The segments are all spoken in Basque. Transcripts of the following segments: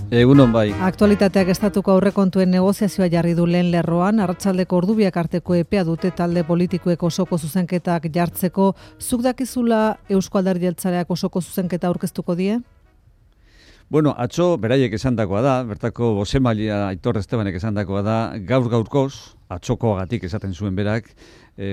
Egunon bai. Aktualitateak estatuko aurrekontuen negoziazioa jarri du lehen lerroan, arratsaldeko ordubiak arteko epea dute talde politikoek osoko zuzenketak jartzeko. Zuk dakizula Eusko Alderdi Jeltzaleak osoko zuzenketa aurkeztuko die? Bueno, atzo beraiek esandakoa da, bertako bozemailea Aitor Estebanek esandakoa da, gaur-gaurkoz, atzokoagatik esaten zuen berak,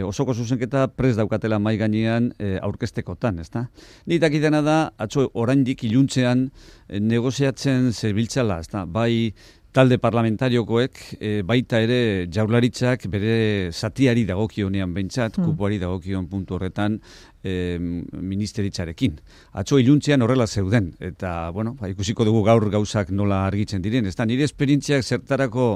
osoko zuzenketa prest daukatela mahai gainean aurkeztekotan, ezta? Ni dakitena da, atzo oraindik iluntzean negoziatzen zebiltzala, ezta? Bai talde parlamentariokoek, baita ere Jaurlaritzak bere zatiari dagokionean behintzat, kupoari dagokion puntu horretan ministeritzarekin. Atzo iluntzean horrela zeuden, eta bueno, ikusiko dugu gaur gauzak nola argitzen diren. Ez da, nire esperientziak zertarako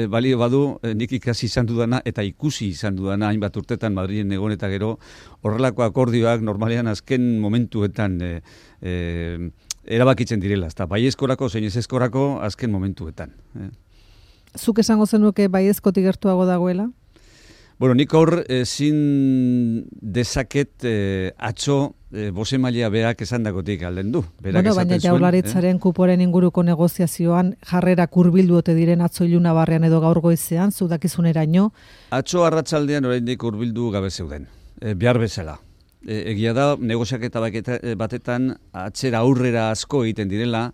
balio badu, nik ikasi izan dudana eta ikusi izan dudana hainbat urtetan Madrilen egon eta gero, horrelako akordioak normalean azken momentuetan erabakitzen direla, ezta baiezkorako zein ezezkorako azken momentuetan. Zuk esango zenuke baiezkotik gertuago dagoela? Bueno, nik hor ezin dezaket atzo bozemailea berak esandakotik alden du. Bueno, baina Jaurlaritzaren kuporen inguruko negoziazioan jarrerak hurbildu ote diren atzo iluna barrean edo gaur goizean, zu dakizuneraino? Atzo arratsaldean oraindik hurbildu gabe zeuden, behar bezala. Egia da, negoziaketa batetan atzera aurrera asko egiten direla,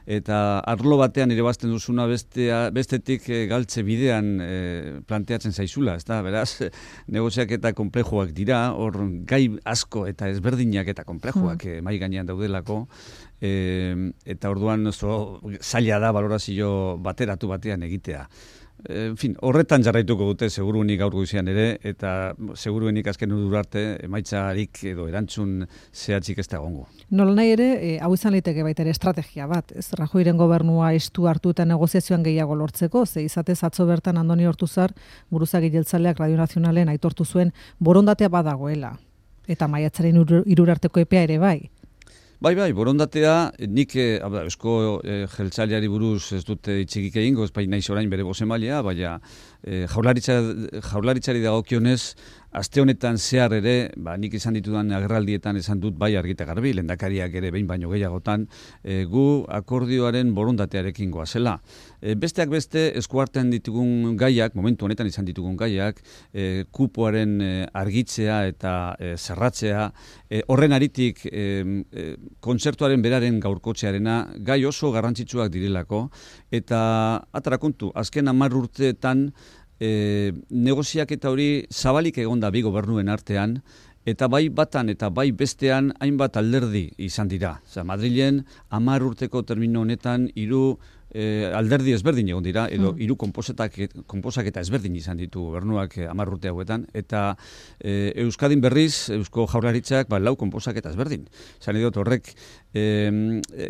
eta arlo batean ere bazten duzuna bestetik galtze bidean planteatzen zaizula, ezta? Beraz, negoziaketa konplejoak dira, hor gai asko eta ezberdinak eta konplejoak mahai gainean daudelako, eta orduan oso zaila da balorazio bateratu batean egitea. En fin, horretan jarraituko dute seguruenik gaur goizean ere, eta seguruenik azken arte emaitzarik edo erantzun zehatzik ez da egongo. Nolanahi ere, hau izan liteke baita ere estrategia bat, ez Rajoyren gobernua estu hartu eta negoziazioan gehiago lortzeko, ze izatez atzo bertan Andoni Ortuzar, buruzagi jeltzaleak Radio Nazionalen aitortu zuen borondatea badagoela, eta maiatzaren 3 arteko epea ere bai. Bai, borondatea, nik eusko jeltzaleari buruz ez dute itxikik egingo, ez bai naiz orain bere bozemailea, baina jaurlaritzari dagokionez, aste honetan zehar ere, nik izan ditudan agerraldietan esan dut bai argita garbi, lehendakariak ere behin baino gehiagotan, gu akordioaren borondatearekin goazela. Besteak beste, eskuartean ditugun gaiak, momentu honetan izan ditugun gaiak, kupoaren argitzea eta zerratzea, horren aritik kontzertuaren beraren gaurkotzearena gai oso garrantzitsuak direlako, eta atarakontu, azken 10 urteetan negoziaketa hori zabalik egonda bi gobernuen artean, eta bai batan eta bai bestean hainbat alderdi izan dira. Madrilen 10 urteko termino honetan 3 alderdi ezberdin egon dira, edo 3 konposaketa ezberdin izan ditu gobernuak 10 urte hauetan, eta Euskadin berriz, Eusko Jaurlaritzak 4 konposaketa ezberdin. Zan edot horrek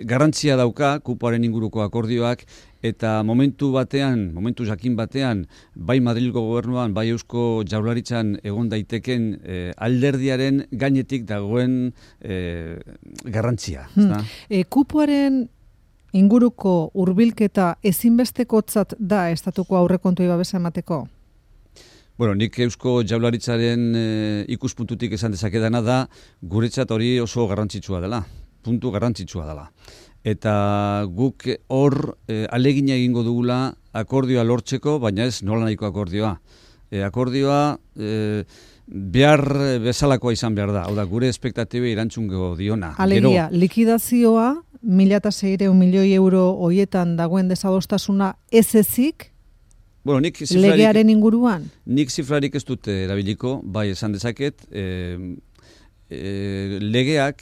garrantzia dauka kupoaren inguruko akordioak, eta momentu jakin batean, bai Madrilgo gobernuan, bai Eusko Jaurlaritzan egon daiteken alderdiaren gainetik dagoen garrantzia. Kupoaren inguruko hurbilketa ezinbestekotzat da estatuko aurrekontuei babesa emateko? Bueno, nik Eusko Jaurlaritzaren ikuspuntutik esan dezakedana da, guretzat hori oso garrantzitsua dela, puntu garrantzitsua dela. Eta guk hor alegina egingo dugula akordioa lortzeko, baina ez nola nahiko akordioa. Akordioa behar bezalakoa izan behar da, hau da, gure espektatibei erantzungo diona. Alegia, likidazioa 1.600 milioi euro hoietan dagoen desadostasuna ez ezik, bueno, legearen inguruan? Nik zifrarik ez dute erabiliko, bai esan dezaket, legeak,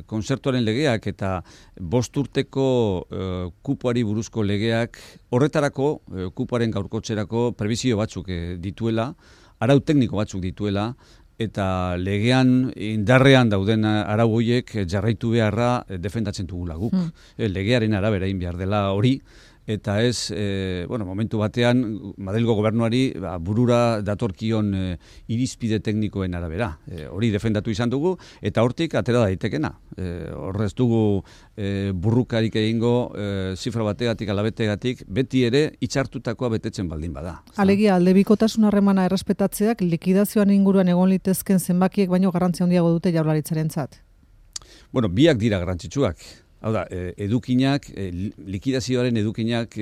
kontzertuaren legeak eta 5 urteko kupoari buruzko legeak horretarako, kupoaren gaurkotzerako prebizio batzuk dituela, arau tekniko batzuk dituela, eta legean indarrean dauden arau horiek jarraitu beharra defendatzen dugula guk. Legearen arabera egin behar dela hori, eta ez, momentu batean, Madrilgo gobernuari burura datorkion irizpide teknikoen arabera. Hori defendatu izan dugu, eta hortik atera daitekena. Horrez dugu burrukarik egingo, zifra bategatik, alabetegatik, beti ere itxartutakoa betetzen baldin bada. Alegia, aldebikotasun harremana errespetatzeak likidazioan inguruan egon litezken zenbakiek baino garrantzia handiago dute Jaurlaritzarentzat. Bueno, biak dira garrantzitsuak. Hau da, edukinak, likidazioaren edukinak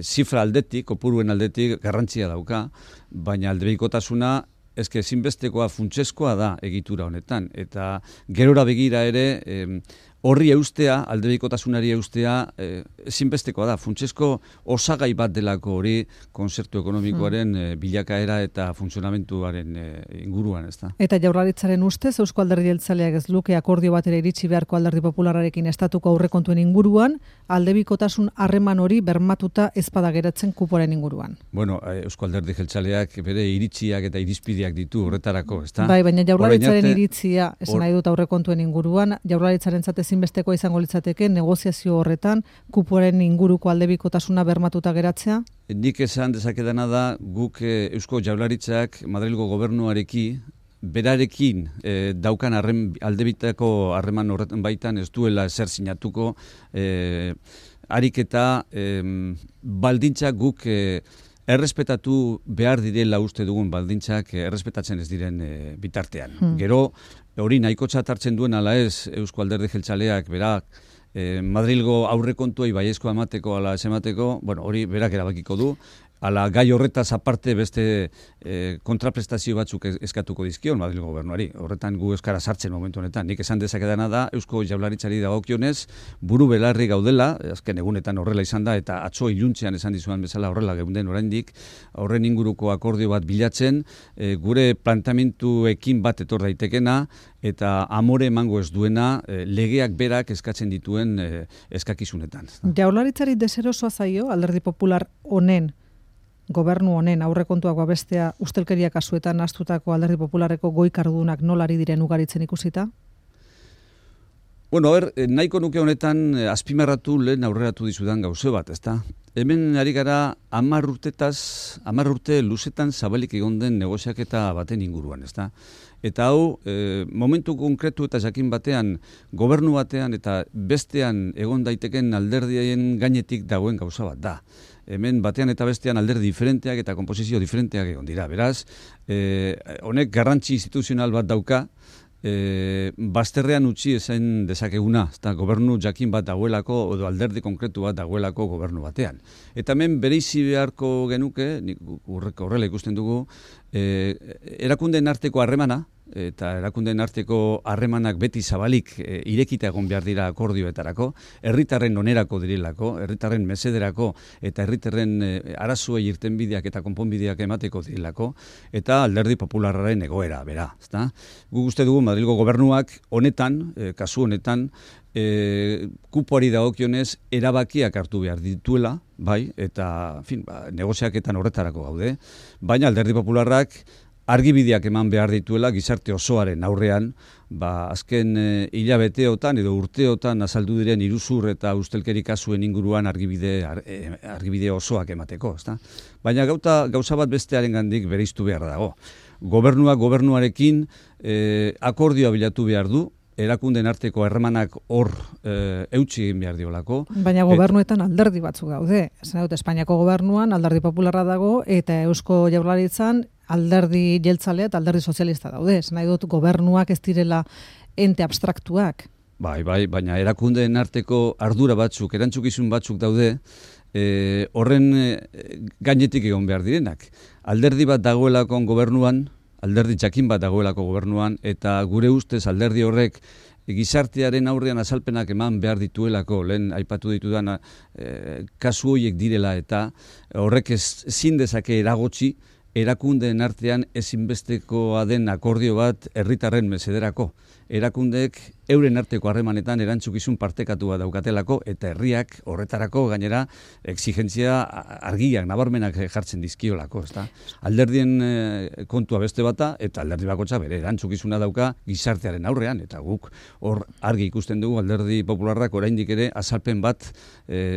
zifra aldetik, kopuruen aldetik garrantzia dauka, baina aldebikotasuna ezinbestekoa, funtsezkoa da egitura honetan. Eta gerora begira ere, horri eustea, aldebikotasunari eustea, ezinbestekoa da. Funtsezko osagai bat delako hori kontzertu ekonomikoaren bilakaera eta funtzionamentuaren inguruan, ez da. Eta Jaurlaritzaren ustez, Eusko Alderdi Jeltzaleak ez luke akordio batera iritsi beharko Alderdi Popularrarekin estatuko aurrekontuen inguruan, aldebikotasun harreman hori bermatuta ez bada geratzen kuporen inguruan. Bueno, Eusko Alderdi Jeltzaleak bere iritziak eta irizpideak ditu horretarako, ez da? Bai, baina Jaurlaritzaren iritzia, esan nahi dut aurrekontuen inguruan, Jaurlaritzarentzat ezinbestekoa izango litzateke negoziazio horretan kuporen inguruko aldebikotasuna bermatuta geratzea? Nik esan dezakedana da guk Eusko Jaurlaritzak Madrilgo gobernuareki berarekin daukan aldebitako harreman horretan baitan ez duela ezer sinatuko ariketa baldintzak guk errespetatu behar direla uste dugun baldintzak errespetatzen ez diren bitartean. Gero, hori nahikotzat hartzen duen ala ez Eusko Alderdi Jeltzaleak berak Madrilgo aurrekontuei baiezkoa emateko ala ez emateko, bueno, hori berak erabakiko du, ala gai horretaz aparte beste kontraprestazio batzuk eskatuko dizkion Madrilgo gobernuari. Horretan gu euskara sartzen momentu honetan. Nik esan dezakedana da Eusko Jaurlaritzari dagokionez buru belarri gaudela, azken egunetan horrela izan da eta atzo iluntzean esan dizuan bezala horrela geunden oraindik, horren inguruko akordio bat bilatzen, gure plantamentuekin bat etor daitekena eta amore emango ez duena legeak berak eskatzen dituen eskakizunetan. Jaurlaritzari deserosoa zaio Alderdi Popular honen gobernu honen aurrekontuak babestea ustelkeria kasuetan astutako Alderdi Popularreko goi kardudunak nolari diren ugaritzen ikusita? Bueno, nahiko nuke honetan azpimarratu lehen aurreratu dizudan gauze bat, ezta? Hemen ari gara 10 urte luzetan zabalik egon den negoziaketa baten inguruan, ezta? Eta hau, momentu konkretu eta jakin batean, gobernu batean eta bestean egon daiteken alderdien gainetik dagoen gauza bat da. Hemen batean eta bestean alderdi diferenteak eta konposizio diferenteak egon dira. Beraz, honek garrantzi instituzional bat dauka, bazterrean utzi ezen dezakeguna, eta gobernu jakin bat dagoelako, edo alderdi konkretu bat dagoelako gobernu batean. Eta hemen bereizi beharko genuke, horrela ikusten dugu, erakundeen arteko harremana, eta erakundeen arteko harremanak beti zabalik irekita egon behar dira akordioetarako, herritarren onerako direlako, herritarren mesederako eta herritarren arazoei irtenbideak eta konponbideak emateko direlako, eta Alderdi Popularraren egoera, bera. Guk uste dugu Madrilgo gobernuak honetan, kasu honetan, kupoari dagokionez erabakiak hartu behar dituela, bai, eta negoziaketan horretarako gaude, baina Alderdi Popularrak argibideak eman behar dituela gizarte osoaren aurrean, azken hilabeteotan edo urteotan azaldu diren iruzur eta ustelkeri kasuen inguruan argibide osoak emateko, ezta? Baina gauza bat bestearen gandik bereiztu behar dago. Gobernuak gobernuarekin akordioa bilatu behar du, erakundeen arteko harremanak hor eutsi egin behar diolako. Baina gobernuetan alderdi batzuk daude. Espainiako gobernuan alderdi popularra dago eta Eusko Jaurlaritzan alderdi jeltzalea eta alderdi sozialista daude. Nahi dut gobernuak ez direla ente abstraktuak. Bai, baina erakundeen arteko ardura batzuk, erantzukizun batzuk daude, horren gainetik egon behar direnak. Alderdi bat dagoelako gobernuan, alderdi jakin bat dagoelako gobernuan, eta gure ustez alderdi horrek gizartearen aurrean azalpenak eman behar dituelako, lehen aipatu ditudan kasu horiek direla, eta horrek ezin dezake eragotzi erakundeen artean ezinbestekoa den akordio bat herritarren mesederako. Erakundeek euren arteko harremanetan erantzukizun partekatua daukatelako eta herriak horretarako gainera exigentzia argiak, nabarmenak jartzen dizkiolako, ezta? Alderdien kontua beste bata eta alderdi bakotxa bere erantzukizuna dauka gizartearen aurrean eta guk hor argi ikusten dugu Alderdi Popularrak oraindik ere azalpen bat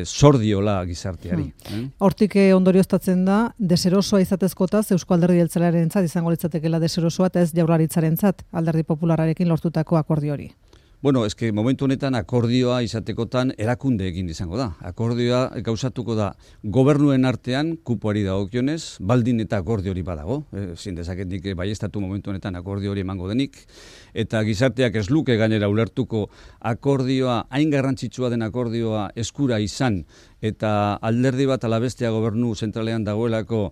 zordiola gizarteari. Hortik ondorioztatzen da deserosoa izatezkotaz Eusko Alderdi Jeltzalearentzat izango litzatekeela deserosoa eta ez Jaurlaritzarentzat Alderdi Popularrarekin lortutako akordio hori. Bueno, eske momentu honetan akordioa izatekotan erakunde egin izango da. Akordioa gauzatuko da gobernuen artean kupoari dagokionez, baldin eta akordio hori badago. Ezin dezaketik baiestatu momentu honetan akordio hori emango denik. Eta gizarteak ez luke gainera ulertuko akordioa, hain garrantzitsua den akordioa eskura izan, eta alderdi bat ala bestea gobernu zentralean dagoelako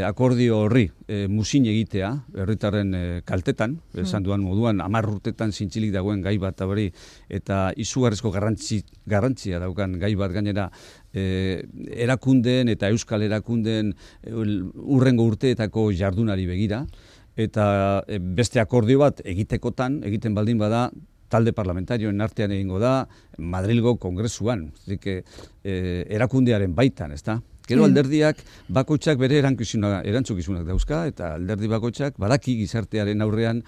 akordio horri muzin egitea, herritarren kaltetan, esan duan moduan, 10 urtetan zintzilik dagoen gai bat hori, eta izugarrizko garrantzia daukan gai bat gainera erakundeen eta euskal erakundeen urrengo urteetako jardunari begira, eta beste akordio bat egiten baldin bada, talde parlamentarioen artean egingo da, Madrilgo kongresuan, erakundearen baitan, ezta? Gero alderdiak bakoitzak bere erantzukizunak dauzka, eta alderdi bakoitzak badaki gizartearen aurrean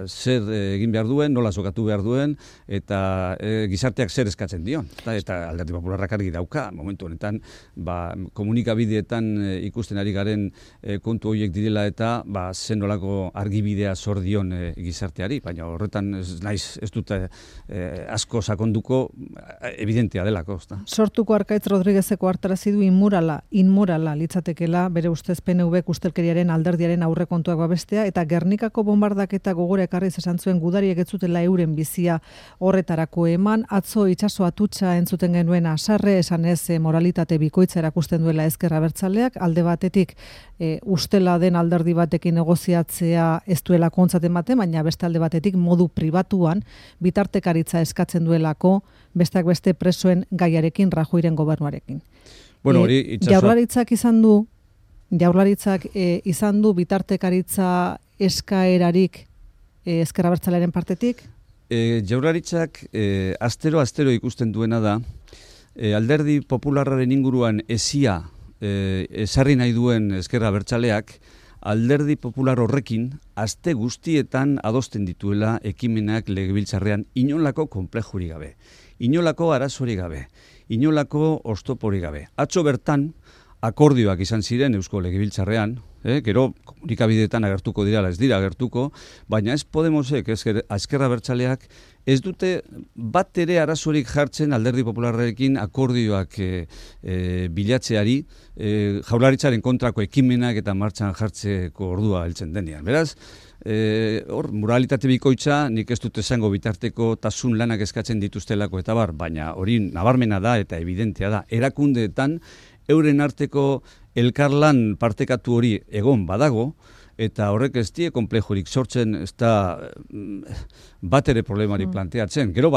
zer egin behar duen, nola sokatu behar duen, eta gizarteak zer eskatzen dion. Eta alderdi popularrak argi dauka, momentu honetan, komunikabideetan ikusten ari garen kontu horiek direla eta zen nolako argibidea zor dion gizarteari, baina horretan ez dut asko sakonduko evidentea delako. Sortuko Arkaitz Rodriguezeko hartarazi du inmorala litzatekela bere ustez PNV ustelkeriaren alderdiaren aurrekontuak babestea, eta Gernikako bombardaketa gogora ekarriz esan zuen gudariek ez zutela euren bizia horretarako eman. Atzo itsaso atutxa entzuten genuen Asarre, esan ez moralitate bikoitza erakusten duela Ezker Abertzaleak, alde batetik ustela den alderdi batekin negoziatzea ez duela kontzat ematen, baina beste alde batetik modu pribatuan bitartekaritza eskatzen duelako besteak beste presoen gaiarekin Rajoyren gobernuarekin. Bueno, Jaurlaritzak izan du bitartekaritza eskaerarik Ezker Abertzalearen partetik? Jaurlaritzak astero ikusten duena da, alderdi popularraren inguruan ezia esarri nahi duen Ezker Abertzaleak, alderdi popular horrekin aste guztietan adosten dituela ekimenak legebiltzarrean inolako konplexurik gabe, inolako arazorik gabe, inolako oztoporik gabe. Atzo bertan akordioak izan ziren Eusko Legebiltzarrean, gero komunikabideetan agertuko dira, ez dira agertuko, baina ez Podemosek, Ezker Abertzaleak, ez dute bat ere arazorik jartzen alderdi popularrekin akordioak bilatzeari, Jaurlaritzaren kontrako ekimenak eta martxan jartzeko ordua heltzen denean. Beraz, moralitate bikoitza, nik ez dut esango bitarteko tasun lanak eskatzen dituztelako eta baina hori nabarmena da eta evidentea da. Erakundeetan, euren arteko elkarlan partekatu hori egon badago, eta horrek ez die konplejorik sortzen, ez da bat ere problemari planteatzen. Gero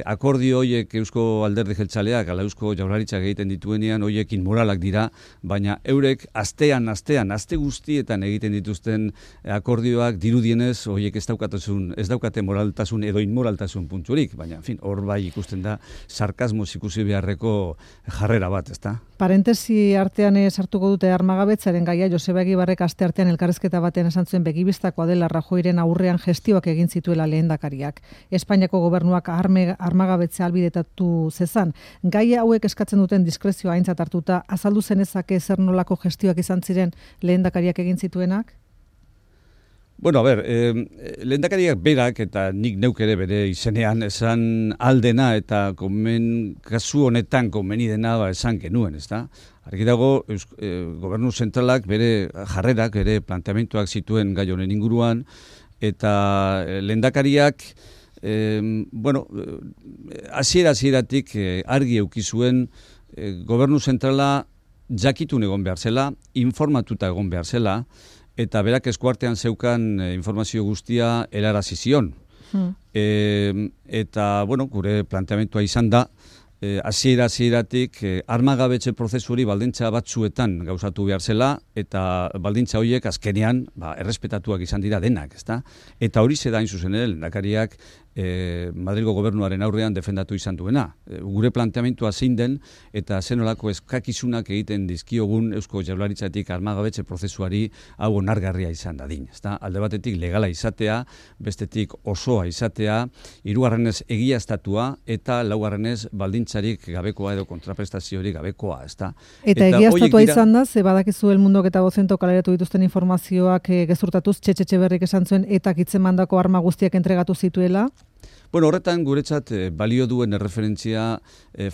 akordio horiek Eusko Alderdi Jeltzaleak, ala Eusko Jaurlaritzak egiten dituenean, horiek inmoralak dira, baina eurek aste guztietan egiten dituzten akordioak dirudienez, horiek ez daukate moraltasun edo inmoraltasun punturik, baina, hor bai ikusten da, sarkasmoz ikusi beharreko jarrera bat, ezta? Parentesi artean sartuko dute armagabetzaren gaia. Joseba Egibarrek aste artean elkarrizketa batean esan zuen begibistakoa dela Rajoyren aurrean gestioak egin zituela lehendakariak. Espainiako gobernuak armagabetzea ahalbidetatu zezan. Gaia hauek eskatzen duten diskrezioa aintzat hartuta, azaldu zenezake zer nolako gestioak izan ziren lehendakariak egin zituenak? Bueno, lehendakariak berak eta nik neuk ere bere izenean esan aldena eta kasu honetan komeni dena esan genuen, ezta? Argi dago, gobernu zentralak bere jarrerak, bere planteamentuak zituen gai honen inguruan, eta lehendakariak, hasieratik argi eduki zuen gobernu zentrala jakitun egon behar zela, informatuta egon behar zela, eta berak eskuartean zeukan informazio guztia helarazi zion. Eta, gure planteamentua izan da, hasieratik armagabetze prozesu hori baldintza batzuetan gauzatu behar zela, eta baldintza horiek azkenean errespetatuak izan dira denak, ezta? Eta hori zeda hain zuzen lehendakariak Madrilgo gobernuaren aurrean defendatu izan duena. Gure planteamentua zein den eta zenolako eskakizunak egiten dizkiogun Eusko Jaurlaritzatik armagabetze prozesuari hau onargarria izan dadin. Alde batetik legala izatea, bestetik osoa izatea, hirugarrenez egiaztatua eta laugarrenez baldintzarik gabekoa edo kontraprestaziorik gabekoa. Eta egiaztatua izan da, ze badakizu El Mundok eta Bozentok kaleratu dituzten informazioak gezurtatuz, Txetxe Berrik esan zuen eta hitzemandako arma guztiak entregatu zituela? Bueno, horretan guretzat balio duen erreferentzia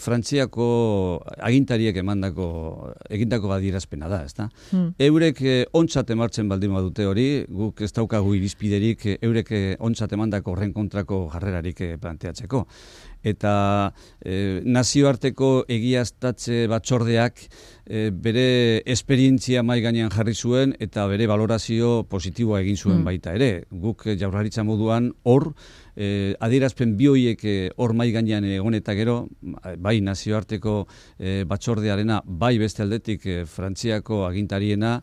Frantziako agintariek egindako adierazpena da, ezta? Eurek ontzat emartzen baldin badute hori, guk ez daukagu irizpiderik eurek ontzat emandako horren kontrako jarrerarik planteatzeko. Eta nazioarteko egiaztatze batzordeak bere esperientzia mahai gainean jarri zuen eta bere valorazio positiboa egin zuen baita ere. Guk Jaurlaritza moduan hor adierazpen bi horiek hor mahai gainean egon eta gero, bai nazioarteko batzordearena, bai beste aldetik Frantziako agintariena,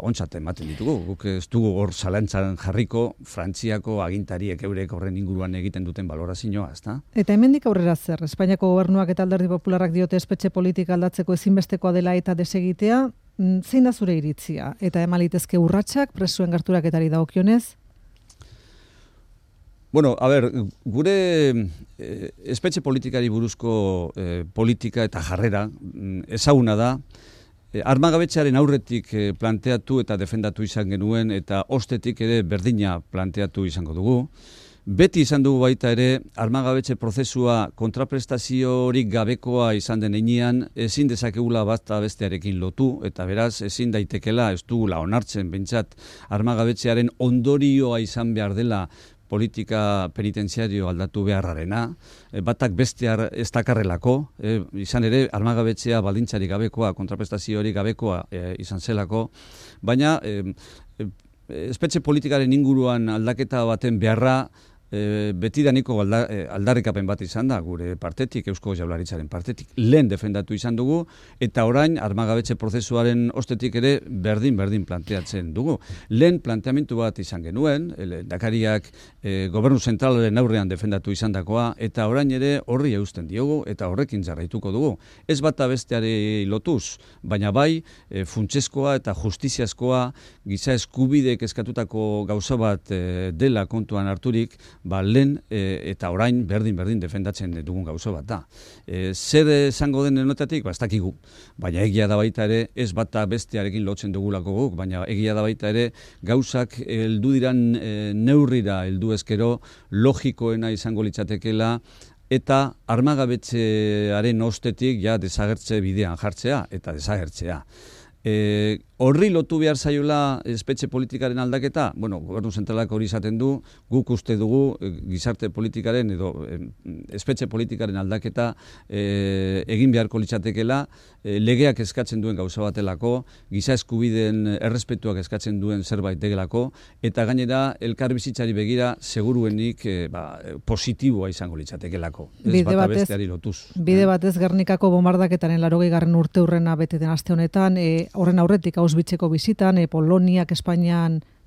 ontzat ematen ditugu. Guk ez dugu hor zalantzan jarriko Frantziako agintariek eurek horren inguruan egiten duten valorazioa, ezta? Eta hemendik aurrera zer, Espainiako gobernuak eta Alderdi Popularrak diote espetxe politika aldatzeko ezinbestekoa dela eta desegitea, zein da zure iritzia? Eta emalitezke urratsak presuen gerturaketari dagokionez? Bueno, a ver, gure espetxe politikari buruzko politika eta jarrera ezaguna da, armagabetzearen aurretik planteatu eta defendatu izan genuen eta ostetik ere berdina planteatu izango dugu. Beti izan dugu baita ere, armagabetze prozesua kontraprestaziorik gabekoa izan den heinean, ezin dezakegula bata bestearekin lotu, eta beraz ezin daitekela, ez dugula onartzen behintzat, armagabetzearen ondorioa izan behar dela politika penitenziario aldatu beharrarena, batak bestear ez dakarrelako, izan ere armagabetzea baldintzarik gabekoa, kontraprestaziorik gabekoa izan zelako, baina espetxe politikaren inguruan aldaketa baten beharra betidaniko aldarrikapen bat izan da, gure partetik, Eusko Jaurlaritzaren partetik, lehen defendatu izan dugu, eta orain armagabetze prozesuaren ostetik ere berdin planteatzen dugu. Lehen planteamentu bat izan genuen, lehendakariak gobernu zentralaren aurrean defendatu izan dakoa, eta orain ere horri eusten diogu, eta horrekin jarraituko dugu. Ez bata besteari lotuz, baina bai, funtsezkoa eta justiziazkoa, giza eskubideek eskatutako gauza bat dela kontuan harturik, lehen eta orain berdin defendatzen dugun gauza bat da. Zer esango den honetatik, ez dakigu, baina egia da baita ere, ez bata bestearekin lotzen dugulako guk, baina egia da baita ere, gauzak heldu diran neurrira heldu ezkero, logikoena izango litzatekela, eta armagabetzearen ostetik ja desagertze bidean jartzea eta desagertzea. Horri lotu behar zaiola espetxe politikaren aldaketa, bueno, gobernu zentralak hori izaten du, guk uste dugu gizarte politikaren edo espetxe politikaren aldaketa egin beharko litzatekela, legeak eskatzen duen gauza batelako, giza eskubideen errespetuak eskatzen duen zerbait degelako, eta gainera elkarbizitzari begira seguruenik positiboa izango litzatekelako. Ez bata besteari lotuz. Bide batez Gernikako bombardaketaren 80. urteurrena bete den aste honetan, horren aurretik Auschwitzeko bizitan,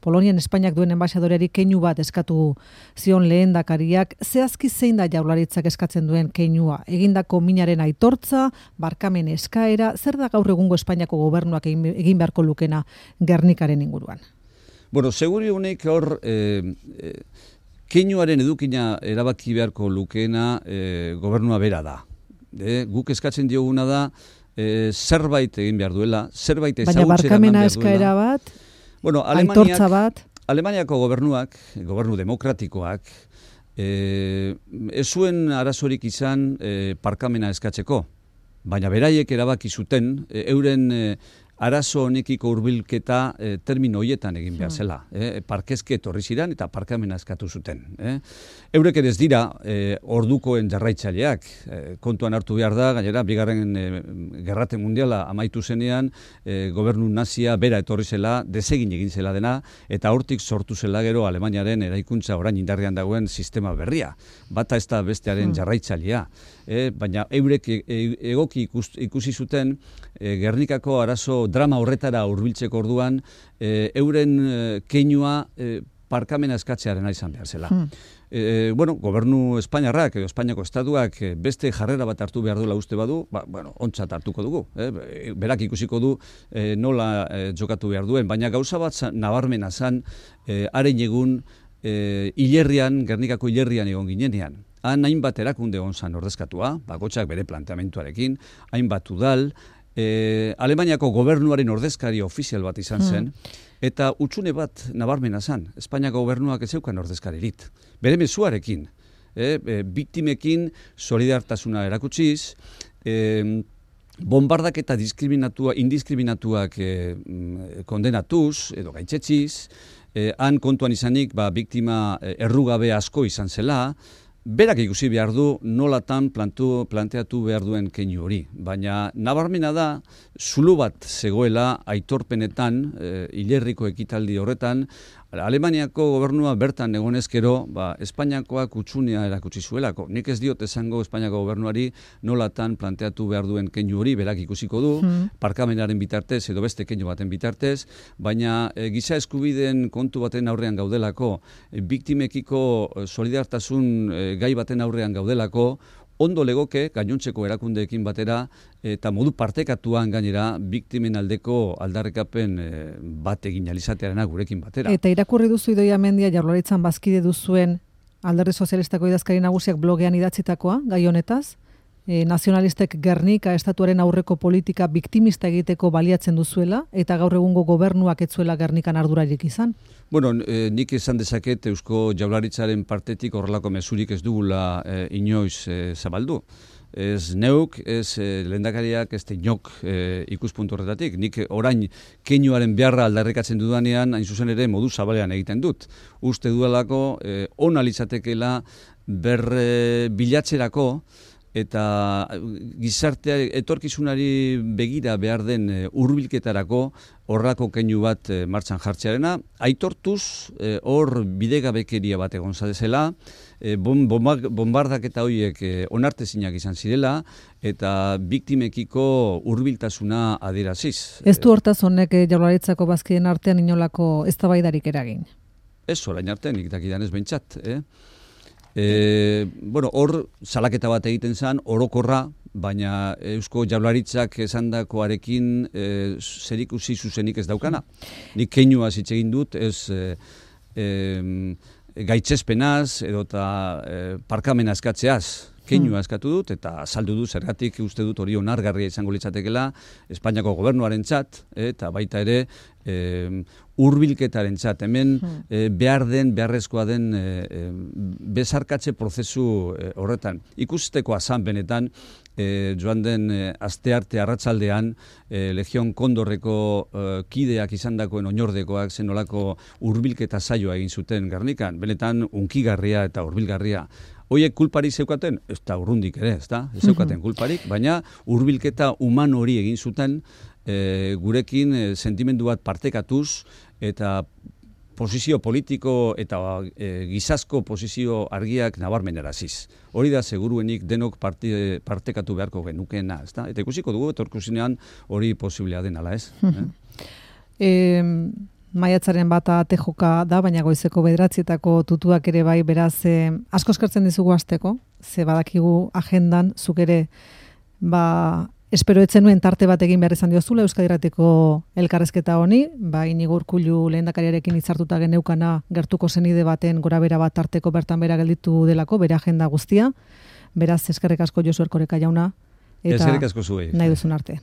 Polonian Espainiak duen enbaixadoreari keinu bat eskatu zion lehendakariak. Zehazki zein da Jaurlaritzak eskatzen duen keinua? Egindako minaren aitortza, barkamen eskaera, zer da gaur egungo Espainiako gobernuak egin beharko lukena Gernikaren inguruan? Bueno, seguri honek hor keinuaren edukina erabaki beharko lukeena gobernua bera da. Guk eskatzen dioguna da zerbait egin behar duela, zerbait ezagutzera eman behar duela. Baina barkamena eskaera bat, bueno, aitortza bat? Alemaniako gobernuak, gobernu demokratikoak, ez zuen arazorik izan parkamena eskatzeko, baina beraiek erabaki zuten, euren arazo honekiko hurbilketa termino hoietan egin behar zela. Parkezke etorri ziren eta parkamena eskatu zuten. Eurek ere ez dira ordukoen jarraitzaileak. Kontuan hartu behar da, gainera, bigarren gerrate mundiala amaitu zenean, gobernu nazia bera etorri zela, desegin egin zela dena, eta hortik sortu zela gero Alemaniaren eraikuntza orain indarrean dagoen sistema berria. Bata ez da bestearen jarraitzailea. Baina eurek egoki ikusi zuten Gernikako arazo drama horretara hurbiltzeko orduan, euren keinua parkamena eskatzearen izan behar zela. Bueno, gobernu Espainiarrak edo Espainiako estatuak beste jarrera bat hartu behar duela uste badu, ontzat hartuko dugu. Berak ikusiko du nola jokatu behar duen, baina gauza bat nabarmena zan, haren egun hilerrian, Gernikako hilerrian egon ginenean. Han hainbat erakunde egon zan ordezkatua, bakotxak bere planteamentuarekin, hainbat udal, Alemaniako gobernuaren ordezkari ofizial bat izan zen, eta utxune bat nabarmena zen, Espainiako gobernuak ez zeukan ordezkaririt. Bere mezuarekin, biktimekin solidartasuna erakutsiz, bombardak eta indiskriminatuak kondenatuz edo gaitzetziz, han kontuan izanik biktima errugabe asko izan zela, berak ikusi behar du nolatan planteatu behar duen keinu hori. Baina nabarmena da, zulo bat zegoela aitorpenetan, hilerriko ekitaldi horretan, Alemaniako gobernua bertan egonezkero, Espainiakoak utxunea erakutsi zuelako. Nik ez diot esango Espainiako gobernuari nolatan planteatu behar duen keinu hori, berak ikusiko du, parkamenaren bitartez edo beste keinu baten bitartez, baina giza eskubideen kontu baten aurrean gaudelako, biktimekiko solidartasun gai baten aurrean gaudelako, ondo legoke gainontzeko erakundeekin batera eta modu partekatuan gainera biktimen aldeko aldarrikapen bat egin alizatearena gurekin batera. Eta irakurri duzu Idoia Mendia Jaurlaritzan bazkide duzuen Alderdi Sozialistako idazkari nagusiak blogean idatzitakoa gai honetaz? Nazionalistek Gernika estatuaren aurreko politika biktimista egiteko baliatzen duzuela eta gaur egungo gobernuak ez zuela Gernikan ardurarik izan? Bueno, nik esan dezaket Eusko Jaurlaritzaren partetik horrelako mezurik ez dugula inoiz zabaldu. Ez neuk, ez lehendakariak, ez inok ikuspuntu horretatik. Nik orain keinuaren beharra aldarrikatzen dudanean, hain zuzen ere modu zabalean egiten dut. Uste dudalako ona litzatekeela bilatzerako eta gizartea etorkizunari begira behar den hurbilketarako horrako keinu bat martxan jartzearena, aitortuz hor bidegabekeria bat egon zadezela, bombardak eta horiek onartezinak izan zirela, eta biktimekiko hurbiltasuna adieraziz. Ez du hortaz honek Jaurlaritzako bazkideen artean inolako eztabaidarik eragin? Ez orain artean, nik dakidan ez behintzat, Bueno, hor salaketa bat egiten zen, orokorra, baina Eusko Jaurlaritzak esandakoarekin zerikusi zuzenik ez daukana. Nik keinua hitz egin dut, ez gaitzespenaz edota parkamena eskatzeaz. Keinua eskatu dut eta azaldu dut zergatik uste dut hori onargarria izango litzatekeela Espainiako gobernuarentzat eta baita ere hurbilketarentzat. Hemen beharrezkoa den bezarkatze prozesu horretan. Ikusteko azan benetan joan den astearte arratsaldean Legion Kondorreko kideak izandakoen oinordekoak zenolako hurbilketa saioa egin zuten Gernikan. Benetan unkigarria eta hurbilgarria. Hoiek kulparik zeukaten, ez da urrundik ere, ez da, ez zeukaten kulparik, baina hurbilketa human hori egin zuten gurekin sentimendu bat partekatuz eta posizio politiko eta gizazko posizio argiak nabarmeneraziz. Hori da seguruenik denok partekatu beharko genukeena, ez da? Eta ikusiko dugu etorkizunean hori posiblea den ala ez. Maiatzaren bata tejoka da, baina goizeko 9:00etako tutuak ere bai, beraz asko eskertzen dizugu hasteko, ze badakigu agendan zuk ere espero etzen nuen tarte bat egin behar izan diozula Euskadi Irratiko elkarrezketa honi, Inigo Urkullu lehendakariarekin hitzartuta geneukana gertuko senide baten gorabehera bat tarteko bertan bera gelditu delako, bere agenda guztia. Beraz eskerrik asko Josu Erkoreka jauna eta eskerrik asko zuei. Nahi duzun arte.